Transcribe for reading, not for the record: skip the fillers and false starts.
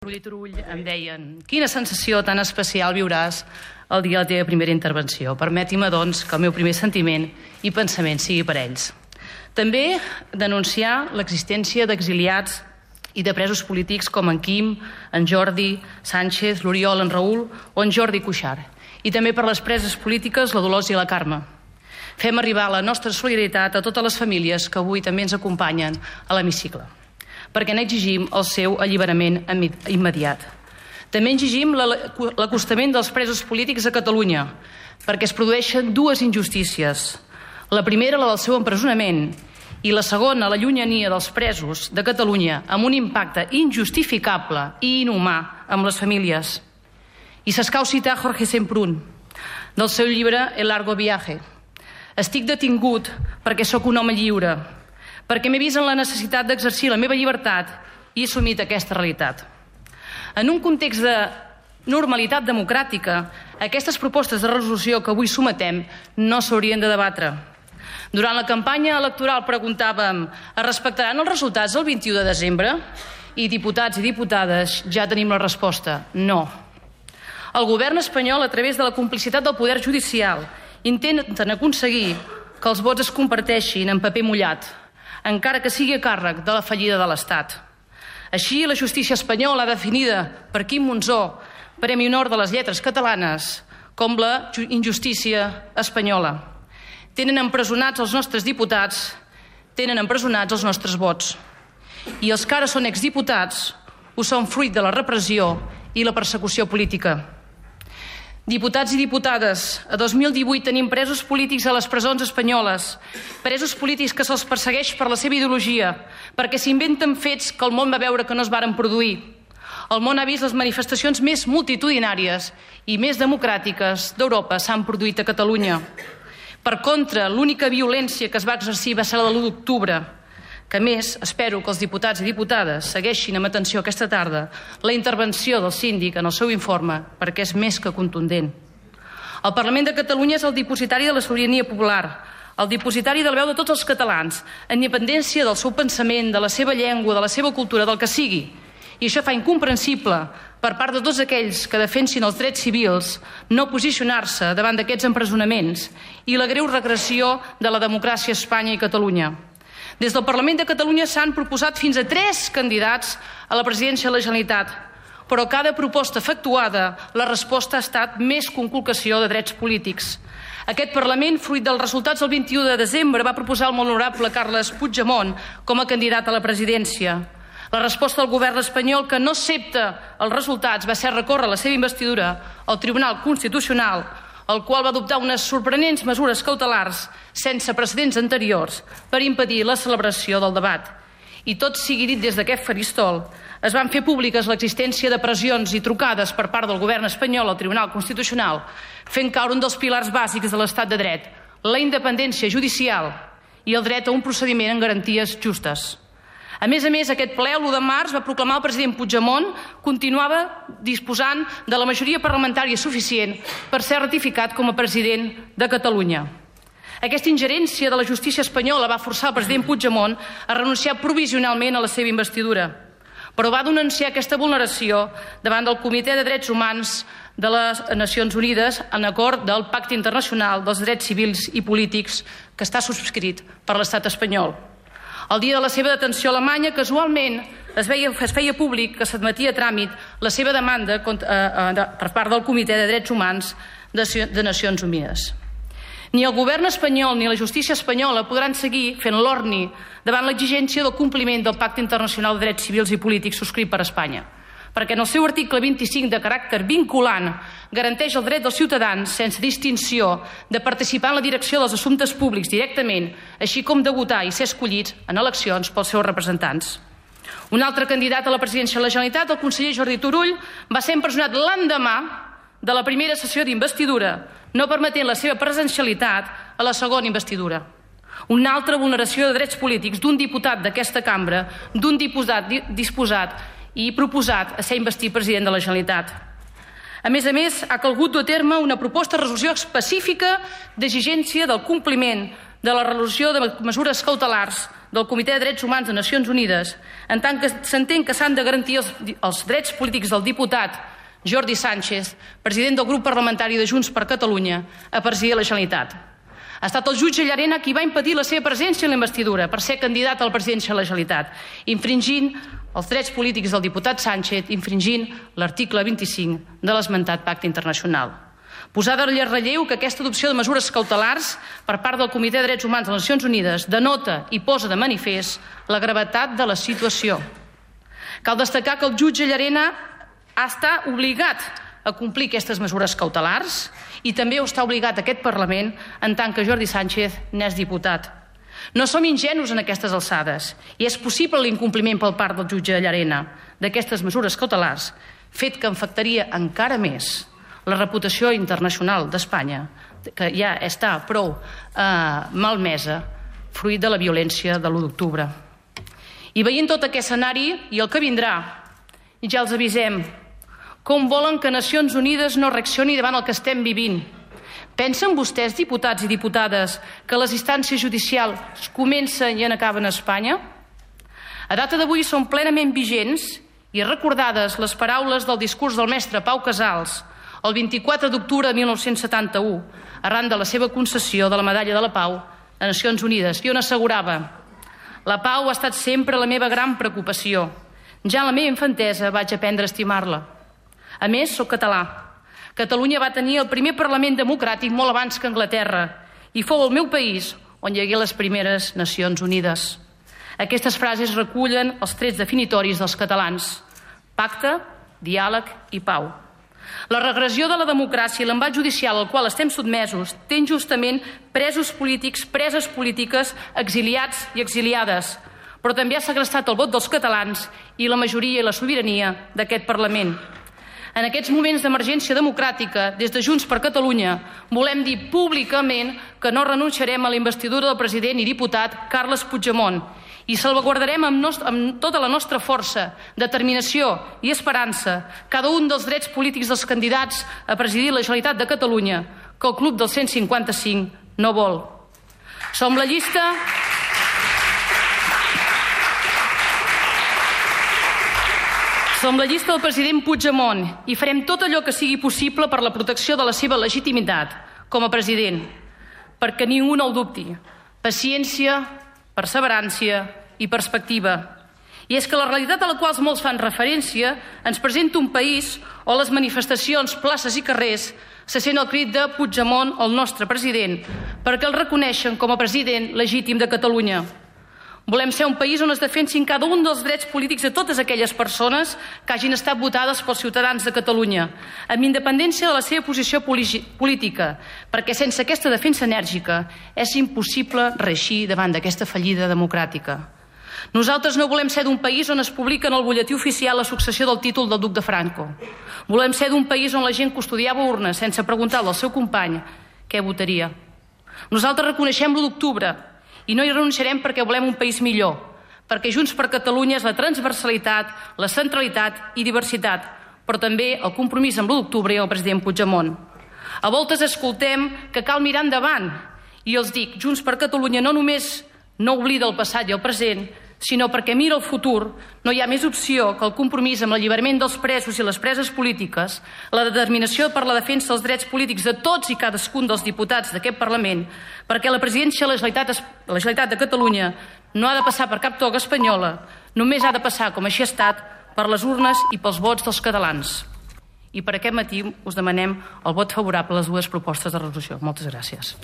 Turull em deien: quina sensació tan especial viuràs el dia de la teva primera intervenció. Permeti-me, doncs, que el meu primer sentiment i pensament sigui per ells. També denunciar l'existència d'exiliats i de presos polítics com en Quim, en Jordi Sánchez, l'Oriol, en Raül o en Jordi Cuixart. I també per les preses polítiques, la Dolors i la Carme. Fem arribar la nostra solidaritat a totes les famílies que avui també ens acompanyen a l'hemicicle, perquè n'exigim el seu alliberament immediat. També exigim l'acostament dels presos polítics a Catalunya, perquè es produeixen dues injustícies. La primera, la del seu empresonament, i la segona, la llunyania dels presos de Catalunya, amb un impacte injustificable i inhumà amb les famílies. I s'escau citar Jorge Semprún, del seu llibre El largo viaje. Estic detingut perquè sóc un home lliure, perquè m'he vist en la necessitat d'exercir la meva llibertat i he assumit aquesta realitat. En un context de normalitat democràtica, aquestes propostes de resolució que avui sometem no s'haurien de debatre. Durant la campanya electoral preguntàvem: es respectaran els resultats del 21 de desembre? I diputats i diputades, ja tenim la resposta: no. El govern espanyol, a través de la complicitat del poder judicial, intenten aconseguir que els vots es comparteixin en paper mullat, encara que sigui a càrrec de la fallida de l'Estat. Així, la justícia espanyola, definida per Quim Monzó, Premi Honor de les Lletres Catalanes, com la injustícia espanyola. Tenen empresonats els nostres diputats, tenen empresonats els nostres vots. I els que ara són exdiputats ho són fruit de la repressió i la persecució política. Diputats i diputades, a 2018 tenim presos polítics a les presons espanyoles, presos polítics que se'ls persegueix per la seva ideologia, perquè s'inventen fets que el món va veure que no es varen produir. El món ha vist les manifestacions més multitudinàries i més democràtiques d'Europa s'han produït a Catalunya. Per contra, l'única violència que es va exercir va ser la de l'1 d'octubre, que a més espero que els diputats i diputades segueixin amb atenció aquesta tarda la intervenció del síndic en el seu informe, perquè és més que contundent. El Parlament de Catalunya és el dipositari de la sobirania popular, el dipositari de la veu de tots els catalans, en independència del seu pensament, de la seva llengua, de la seva cultura, del que sigui. I això fa incomprensible, per part de tots aquells que defensin els drets civils, no posicionar-se davant d'aquests empresonaments i la greu regressió de la democràcia a Espanya i Catalunya. Des del Parlament de Catalunya s'han proposat fins a 3 candidats a la presidència de la Generalitat, però cada proposta efectuada, la resposta ha estat més conculcació de drets polítics. Aquest Parlament, fruit dels resultats del 21 de desembre, va proposar el molt honorable Carles Puigdemont com a candidat a la presidència. La resposta del govern espanyol, que no accepta els resultats, va ser recórrer la seva investidura al Tribunal Constitucional, el qual va adoptar unes sorprenents mesures cautelars sense precedents anteriors per impedir la celebració del debat. I tot sigui dit des d'aquest faristol, es van fer públiques l'existència de pressions i trucades per part del govern espanyol al Tribunal Constitucional, fent caure un dels pilars bàsics de l'estat de dret, la independència judicial i el dret a un procediment amb garanties justes. A més, aquest ple, l'1 de març, va proclamar el president Puigdemont continuava disposant de la majoria parlamentària suficient per ser ratificat com a president de Catalunya. Aquesta ingerència de la justícia espanyola va forçar el president Puigdemont a renunciar provisionalment a la seva investidura, però va denunciar aquesta vulneració davant del Comitè de Drets Humans de les Nacions Unides en acord del Pacte Internacional dels Drets Civils i Polítics que està subscrit per l'estat espanyol. El dia de la seva detenció a Alemanya, casualment, es feia públic que s'admetia a tràmit la seva demanda per part del Comitè de Drets Humans de Nacions Unides. Ni el govern espanyol ni la justícia espanyola podran seguir fent l'orni davant l'exigència del compliment del Pacte Internacional de Drets Civils i Polítics subscrit per Espanya, perquè en el seu article 25 de caràcter vinculant garanteix el dret dels ciutadans sense distinció de participar en la direcció dels assumptes públics directament, així com de votar i ser escollits en eleccions pels seus representants. Un altre candidat a la presidència de la Generalitat, el conseller Jordi Turull, va ser empresonat l'endemà de la primera sessió d'investidura, no permetent la seva presencialitat a la segona investidura. Una altra vulneració de drets polítics d'un diputat d'aquesta cambra, d'un diputat disposat i proposat a ser investit president de la Generalitat. A més, ha calgut dur a terme una proposta de resolució específica d'exigència del compliment de la resolució de mesures cautelars del Comitè de Drets Humans de Nacions Unides, en tant que s'entén que s'han de garantir els drets polítics del diputat Jordi Sànchez, president del grup parlamentari de Junts per Catalunya, a presidir la Generalitat. Ha estat el jutge Llarena qui va impedir la seva presència en la investidura per ser candidat a la presidència de la Generalitat, infringint els drets polítics del diputat Sánchez, infringint l'article 25 de l'esmentat pacte internacional. Posar de relleu que aquesta adopció de mesures cautelars per part del Comitè de Drets Humans de les Nacions Unides denota i posa de manifest la gravetat de la situació. Cal destacar que el jutge Llarena està obligat a complir aquestes mesures cautelars i també ho està obligat aquest Parlament en tant que Jordi Sànchez n'és diputat. No som ingenus en aquestes alçades i és possible l'incompliment per part del jutge Llarena d'aquestes mesures cautelars, fet que afectaria encara més la reputació internacional d'Espanya, que ja està prou malmesa fruit de la violència de l'1 d'octubre. I veient tot aquest escenari i el que vindrà, ja els avisem, com volen que Nacions Unides no reaccioni davant el que estem vivint? Pensen vostès, diputats i diputades, que les instàncies judicials comencen i acaben a Espanya? A data d'avui són plenament vigents i recordades les paraules del discurs del mestre Pau Casals el 24 d'octubre de 1971, arran de la seva concessió de la Medalla de la Pau a Nacions Unides, i on assegurava: «La pau ha estat sempre la meva gran preocupació. Ja en la meva infantesa vaig aprendre a estimar-la. A més, soc català. Catalunya va tenir el primer Parlament democràtic molt abans que Anglaterra i fou el meu país on hi hagué les primeres Nacions Unides». Aquestes frases recullen els trets definitoris dels catalans: pacte, diàleg i pau. La regressió de la democràcia i l'embat judicial al qual estem sotmesos té injustament presos polítics, preses polítiques, exiliats i exiliades, però també ha segrestat el vot dels catalans i la majoria i la sobirania d'aquest Parlament. En aquests moments d'emergència democràtica, des de Junts per Catalunya, volem dir públicament que no renunciarem a la investidura del president i diputat Carles Puigdemont i salvaguardarem amb tota la nostra força, determinació i esperança cada un dels drets polítics dels candidats a presidir la Generalitat de Catalunya que el Club del 155 no vol. Som la llista del president Puigdemont i farem tot allò que sigui possible per la protecció de la seva legitimitat com a president, perquè ningú no el dubti. Paciència, perseverància i perspectiva. I és que la realitat a la qual molts fan referència ens presenta un país on les manifestacions, places i carrers se sent el crit de Puigdemont, el nostre president, perquè el reconeixen com a president legítim de Catalunya. Volem ser un país on es defensin cada un dels drets polítics de totes aquelles persones que hagin estat votades pels ciutadans de Catalunya, amb independència de la seva posició política, perquè sense aquesta defensa enèrgica és impossible reeixir davant d'aquesta fallida democràtica. Nosaltres no volem ser d'un país on es publica en el butlletí oficial la successió del títol del duc de Franco. Volem ser d'un país on la gent custodiava urnes sense preguntar al seu company què votaria. Nosaltres reconeixem l'1 d'octubre i no hi renunciarem perquè volem un país millor, perquè Junts per Catalunya és la transversalitat, la centralitat i diversitat, però també el compromís amb l'1 d'octubre i el president Puigdemont. A voltes escoltem que cal mirar endavant i els dic, Junts per Catalunya no només no oblida el passat i el present, sinó perquè mira el futur, no hi ha més opció que el compromís amb l'alliberament dels presos i les preses polítiques, la determinació per la defensa dels drets polítics de tots i cadascun dels diputats d'aquest Parlament, perquè la presidència de la Generalitat de Catalunya no ha de passar per cap toga espanyola, només ha de passar, com així ha estat, per les urnes i pels vots dels catalans. I per aquest motiu us demanem el vot favorable a les dues propostes de resolució. Moltes gràcies.